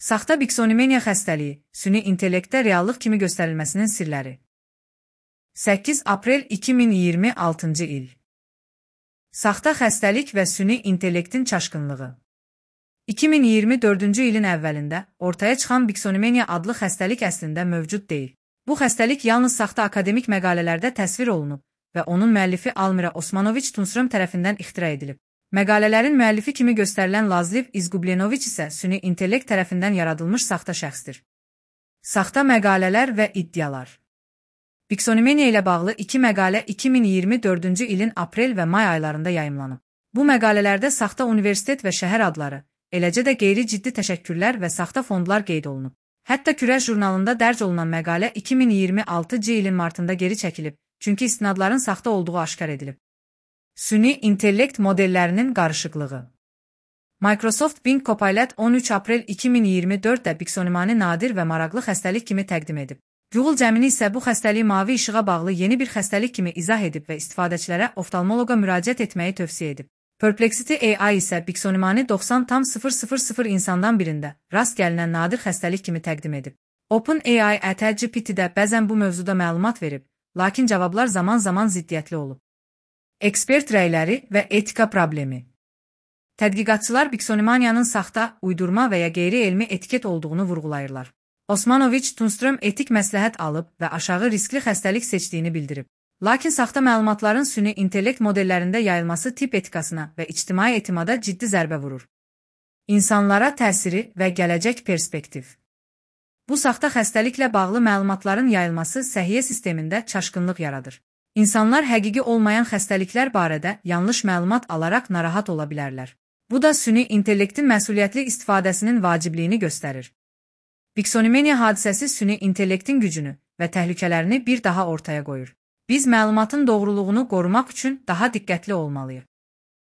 Saxta biksonimeniya xəstəliyi, süni intellektdə reallıq kimi göstərilməsinin sirləri. 8 aprel 2026-cı il. Saxta xəstəlik və süni intellektin çaşqınlığı. 2024-cü ilin əvvəlində ortaya çıxan biksonimeniya adlı xəstəlik əslində mövcud deyil. Bu xəstəlik yalnız saxta akademik məqalələrdə təsvir olunub və onun müəllifi Almira Osmanoviç Tunström tərəfindən ixtira edilib. Məqalələrin müəllifi kimi göstərilən Lazliv İzgublenoviç isə süni intellekt tərəfindən yaradılmış saxta şəxsdir. Saxta məqalələr və iddialar. Biksonimeniya ilə bağlı 2 məqalə 2024-cü ilin aprel və may aylarında yayımlanıb. Bu məqalələrdə saxta universitet və şəhər adları, eləcə də qeyri-ciddi təşəkkürlər və saxta fondlar qeyd olunub. Hətta Kürəş jurnalında dərc olunan məqalə 2026-cı ilin martında geri çəkilib, çünki istinadların saxta olduğu aşkar edilib. Süni intellekt modellərinin qarışıqlığı. Microsoft Bing Copilot 13 aprel 2024-də biksonimani nadir və maraqlı xəstəlik kimi təqdim edib. Google Gemini isə bu xəstəliyi mavi işığa bağlı yeni bir xəstəlik kimi izah edib və istifadəçilərə oftalmoloqa müraciət etməyi tövsiyə edib. Perplexity AI isə biksonimani 90,000 insandan birində rast gəlinən nadir xəstəlik kimi təqdim edib. OpenAI ChatGPT-də bəzən bu mövzuda məlumat verib, lakin cavablar zaman-zaman ziddiyyətli olub. Ekspert rəyləri və etika problemi. Tədqiqatçılar biksonimaniyanın saxta, uydurma və ya qeyri-elmi etiket olduğunu vurğulayırlar. Osmanoviç Tunström etik məsləhət alıb və aşağı riskli xəstəlik seçdiyini bildirib. Lakin saxta məlumatların süni intellekt modellərində yayılması tip etikasına və ictimai etimada ciddi zərbə vurur. İnsanlara təsiri və gələcək perspektiv. Bu saxta xəstəliklə bağlı məlumatların yayılması səhiyyə sistemində çaşqınlıq yaradır. İnsanlar həqiqi olmayan xəstəliklər barədə yanlış məlumat alaraq narahat ola bilərlər. Bu da süni intellektin məsuliyyətli istifadəsinin vacibliyini göstərir. Biksonimeniya hadisəsi süni intellektin gücünü və təhlükələrini bir daha ortaya qoyur. Biz məlumatın doğruluğunu qorumaq üçün daha diqqətli olmalıyıq.